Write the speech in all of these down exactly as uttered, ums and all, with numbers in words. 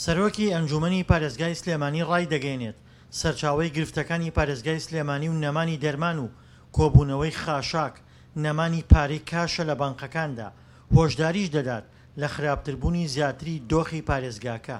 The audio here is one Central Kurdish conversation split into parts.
سەرۆکی ئەنجومەنی پارێزگای سلێمانی ڕایدەگەیەنێت، سەرچاوەی گرفتەکانی پارێزگای سلێمانی و نەمانی دەرمان و کۆبوونەوەی خاشاک، نەمانی پارەی کاشە لە بانقەکاندا، هۆشداریش دەدات لە خراپتربوونی زیاتری دۆخی پارێزگاکە.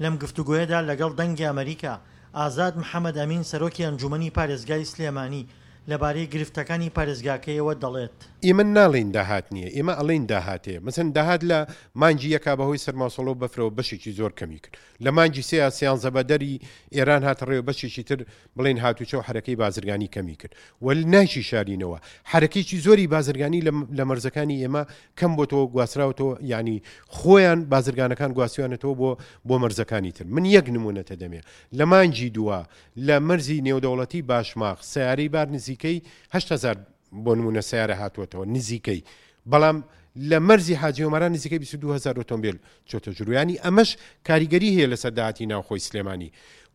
لەم گفتوگۆیەدا لەگەڵ دەنگی ئەمەریکا، ئازاد محەمەد ئەمین سەرۆکی ئەنجومەنی پارێزگای سلێمانی لەبارەی گرفتەکانی پارێزگاکەیەوە دەڵێت. ئێمە ناڵێین داهات نییە، ئێمە ئەڵێین داهات هەیە. مەسەن داهات لە مانگی یەکا بەهۆی سەرماوسەڵە و بەفرەوە بەشێکی زۆر کەمی کرد. لە مانگی سێیا سیانزە بەدەری ئێران هاتە ڕێوە بەشێکی تر بڵێین هاتوچۆ و حەرەکەی بازرگانی کەمی کرد و نایشی شارینەوە حەرەکەیەکی زۆری بازرگانی لە مەرزەکانی ئێمە کەم بۆتەوە گواستراوەتەوە، یعنی خۆیان بازرگانەکان گواستویانەتەوە بۆ بۆ مەرزەکانی تر. من یەک نمونەتە دەمێ لە مانگی دووە لە مەرزی نێودەوڵەتی باشماخ سیارەی بار نزیکەی هەشت هەزار بۆ نمونە سیارە هاتووەتەوە نزیکەی، بەڵام لە مەرزی حاجی ئۆمەران نزیکەی بیست و دوو هەزار ئۆتۆمبیل چۆتە ژوورویانی. ئەمەش کاریگەری هەیە لەسەر داهاتی ناوخۆی سلێمانی.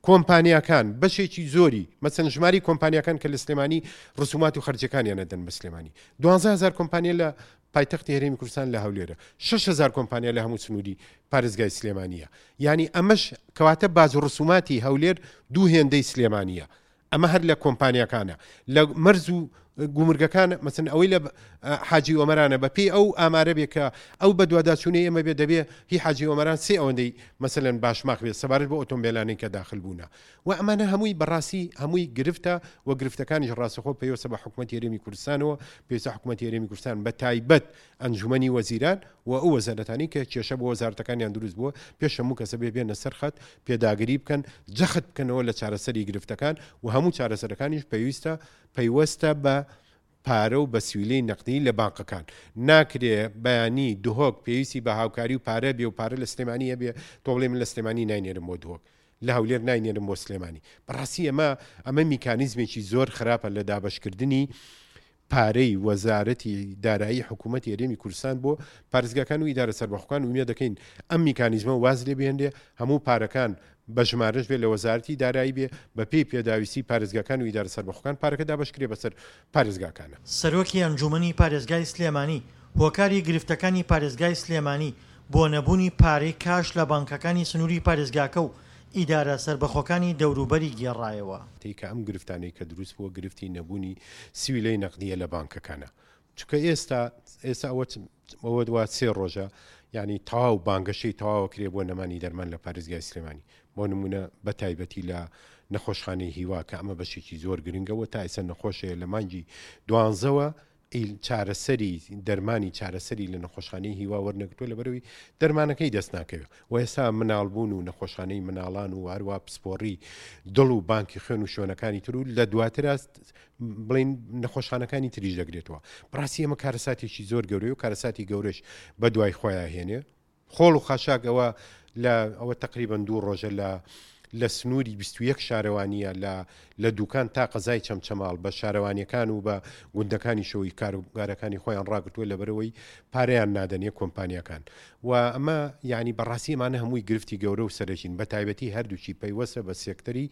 کۆمپانیاکان بەشێکی زۆری مەسەن ژماری کۆمپانیاکان کە لە سلێمانی ڕسومات و خەرجەکانیان ئەدەن بە سلێمانی، دوانزە هەزار کۆمپانیا لە پایتەختی هەرێمی کوردستان لە هەولێرە، شەش هەزار کۆمپانیا لە هەموو سنووری پارێزگای سلێمانیە. یعنی ئەمەش کەواتە باج و ڕسوماتی هەولێر دوو هێندەی سلێمانیە. ئەمە هەر لە کۆمپانیاکانە لە مەرز و گومرگەکان، مەسەن ئەوەی لە حاجی ئۆمەرانە بە پێی ئەو ئامارە بێ کە ئەو بەدواداچوونەی ئێمە بێ دەبێ هی حاجی ئۆمەران سێ ئەوەندەی مەسەلەن باشماخ بێت سەبارەت بۆ ئۆتۆمبیلانەی کە داخل بوونە. و ئەمانە هەمووی بەڕاستی هەمووی گرفتە و گرفتەکانیش ڕاستەخۆ پەیوەستە بە حکوومەتی هەرێمی کوردستانەوە. پێویستە حکوومەتی هەرێمی کوردستان بە تایبەت ئەنجومەنی وەزیران و ئەو وەزارەتانی کە کێشە بۆ وەزارەتەکانیان دروست بووە پێش هەموو کەسە بێ بێنە سەر خەت پێداگری بکەن، جەخت بکەنەوە لە چارەسەری گرفتەکان و هەموو چارەسەرەکانیش پێویستە پەیوەستە بە پارە و بە سویلەی نەقدی لە بانقەکان. ناکرێ بەیانی دهۆک پێویستی بە هاوکاری و پارە بێ و پارە لە سلێمانی هەبێ، تۆ بڵێ من لە سلێمانی ناینێرم بۆ دهۆک، لە هەولێر ناینێرم بۆ سلێمانی. بەڕاستی ئەمە ئەمە میکانیزمێکی زۆر خراپە لە دابەشکردنی پارەی وەزارەتی دارایی حکوومەتی هەرێمی کوردستان بۆ پارێزگاکان و ئیدارە سەربەخۆکان. ئومێد دەکەین ئەم میکانیزمە واز لێ بهێنرێ، هەموو پارەکان بە ژمارەش بێ لە وەزارەتی دارایی بێ بە پێی پێداویستی پارێزگاکان و ئیدارە سەربەخۆکان پارەکە دابەشکرێ بەسەر پارێزگاکانە. سەرۆکی ئەنجومەنی پارێزگای سلێمانی هۆکاری گرفتەکانی پارێزگای سلێمانی بۆ نەبوونی پارەی کاش لە بانکەکانی سنووری پارێزگاکە و ئیدارە سەربەخۆکانی دەوروبەری گێڕایەوە. کە ئەم گرفتانەی کە دروست بووە گرفتی نەبوونی سویلەی نەقدیە لە بانکەکانە، چونکە ئێستا ئێستا ئەوە ئەوە دوا سێ ڕۆژە یعنی تەواو بانگەشەی تەواوە کرێ بۆ نەمانی دەرمان لە پارێزگای سلێمانی، بۆ نمونە بە تایبەتی لە نەخۆشخانەی هیوا کە ئەمە بەشێکی زۆر گرنگەوە تا ئێستا نەخۆشەیە لە مانگی دوانزەوە چارەسەری دەرمانی چارەسەری لە نەخۆشخانەی هیوا وەرنەگرتووە لەبەرەوەی دەرمانەکەی دەست ناکەوێت. و ئێستا مناڵبوون و نەخۆشخانەی مناڵان و هەروە پسپۆڕی دڵ و بانکی خوێن و شوێنەکانی تر و لە دواتر بڵین نەخۆشخانەکانی تریش دەگرێتەوە. بەڕاستی ئەمە کارەساتێکی زۆر گەورەیە و کارەساتی گەورەش بە دوای خۆیان هێنێ. خۆڵ و خاشاک ئەوە لە ئەوە تقریباً دوو ڕۆژە لە لە سنووری بیست و یەک شارەوانیە لە لە دوکان تا قەزای چەمچەماڵ بە شارەوانیەکان و بە گوندەکانی شەوەی کاروبارەکانی خۆیان ڕاگرتووە لەبەرەوەی پارەیان نادەنێ کۆمپانیاکان. و ئەمە یعنی بەڕاستی ئەمانە هەمووی گرفتی گەورە و سەرەکین، بە تایبەتی هەردووکی پەیوەستە بە سێکتەری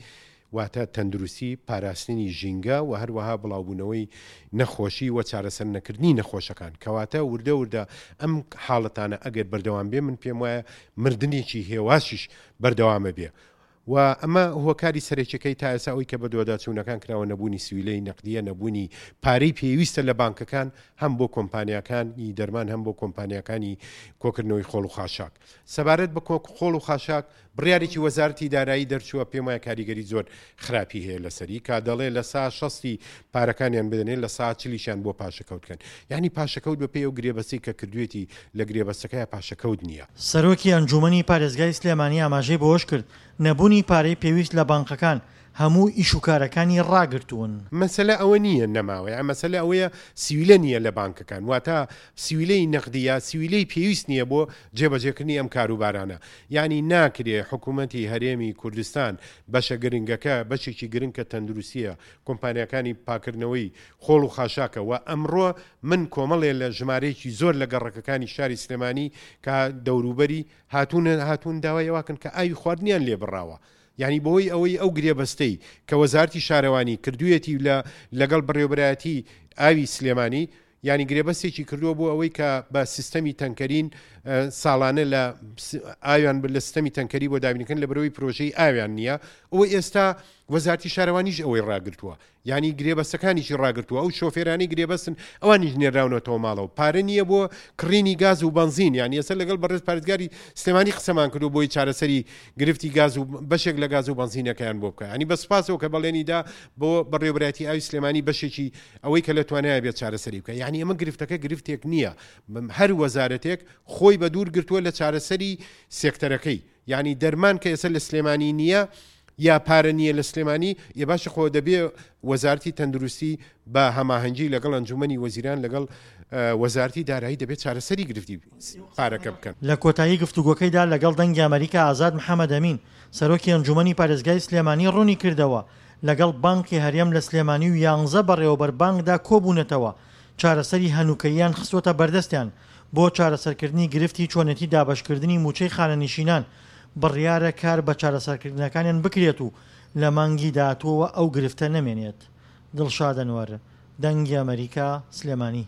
واتە تەندروستی، پاراستنی ژینگە و هەروەها بڵاوبوونەوەی نەخۆشی و چارەسەر نەکردنی نەخۆشەکان. کەواتە وردە وردە ئەم حاڵەتانە ئەگەر بەردەوام بێ من پێم وایە مردنێکی هێواشیش بەردەوامە بێ. و ئەمە هۆکاری سەرەکیەکەی تا ئێستا ئەوەی کە بە دووەداچوونەکان کراوە نەبوونی سویلەی نەقدیە، نەبوونی پارەی پێویستە لە بانکەکان هەم بۆ کۆمپانیاکانی دەرمان هەم بۆ کۆمپانیاکانی کۆکردنەوەی خۆڵ و خاشاک. سەبارەت بە خۆڵ و خاشاک بڕیارێکی وەزارەتی دارایی دەرچووە، پێم وایە کاریگەری زۆر خراپی هەیە لەسەری کە دەڵێ لە سا شەستی پارەکانیان بدەنێ لە سا چلیشیان بۆ پاشەکەوت بکەن. یعنی پاشەکەوت بە پێی ئەو گرێبەستی کە کردوێتی لە گرێبەستەکەی پاشەکەوت نییە. سەرۆکی ئەنجومەنی پارێزگای سلێمانی ئاماژەی بەوەش کرد نەبوونی پارەی پێویست لە بانقەکان هەموو ئیشوکارەکانی ڕاگرتوون. مەسەلە ئەوە نییە نەماوە، یان مەسەلە ئەوەیە سویلە نییە لە بانکەکان، واتە سویلەی نەقدیە سویلەی پێویست نییە بۆ جێبەجێکردنی ئەم کاروبارانە. یعنی ناکرێ حکوومەتی هەرێمی کوردستان بەشە گرنگەکە بەشێکی گرنگ کە تەندروستیە، کۆمپانیاکانی پاکردنەوەی خۆڵ و خاشاکە و ئەمڕۆ من کۆمەڵێ لە ژمارەیەکی زۆر لە گەڕەکەکانی شاری سلێمانی کە دەوروبەری هاتوون هاتوون داوای ئەوەکەن کە ئاوی خواردنیان لێ بڕاوە. یعنی بەهۆی ئەوەی ئەو گرێبەستەی کە وەزارەتی شارەوانی کردوویەتی لە لەگەڵ بەڕێوەبەرایەتی ئاوی سلێمانی یانی گرێبەستێکی کردووە بۆ ئەوەی کە بە سیستەمی تەنکەرین ساڵانە لە ئاویان لە سیستەمی تەنکەری بۆ دابینکەن لە بەرەوەی پرۆژەی ئاویان نییە. ئەوە ئێستا وەزارتی شارەوانیش ئەوەی ڕاگرتووە، یعنی گرێبەستەکانیشی ڕاگرتووە، ئەو شۆفێرانی گرێبەستن ئەوانیش نێراونەتەوە ماڵەوە، پارە نییە بۆ کڕینی گاز و بەنزین. یعنی ئێستا لەگەڵ بەڕێز پارێزگاری سلێمانی قسەمان کردو بۆی چارەسەری گرفتی گاز و بەشێک لە گاز و بەنزینەکەیان بۆ بکە. یعنی بە سوپاسەوە کە بەڵێنی دا بۆ بەڕێوەبەرایەتی ئاوی سلێمانی بەشێکی ئەوەی کە لە توانایە بێت چارەسەری بکە. یعنی ئەمە گرفتەکە گرفتێک نییە، هەر وەزارەتێک خۆی بە دوور گرتووە لە چارەسەری سێکتەرەکەی. یعنی دەرمان کە ئێستا لە سلێمانی نییە یا پارە نییە لە سلێمانی، ئێ باشە خۆ دەبێ وەزارەتی تەندروستی بە هەماهەنگی لەگەڵ ئەنجومەنی وەزیران لەگەڵ وەزارەتی دارایی دەبێت چارەسەری گرفتی پارەکە بکەن. لە کۆتایی گفتوگۆکەیدا لەگەڵ دەنگی ئەمریکا ئازاد محەمەد ئەمین سەرۆکی ئەنجومەنی پارێزگای سلێمانی ڕوونی کردەوە لەگەڵ بانکی هەرێم لە سلێمانی و یانزە بەڕێوەبەر بانکدا کۆبوونەتەوە چارەسەری هەنووکەییان خستووەتە بەردەستیان بۆ چارەسەرکردنی گرفتی چۆنێتی دابەشکردنی موچەی خانەنشینان. بڕیارە کار بە چارەسەرکردنەکانیان بکرێت و لە مانگی داهاتووەوە ئەو گرفتە نەمێنێت. دڵشاد ئەنوەر، دەنگی ئەمریکا، سلێمانی.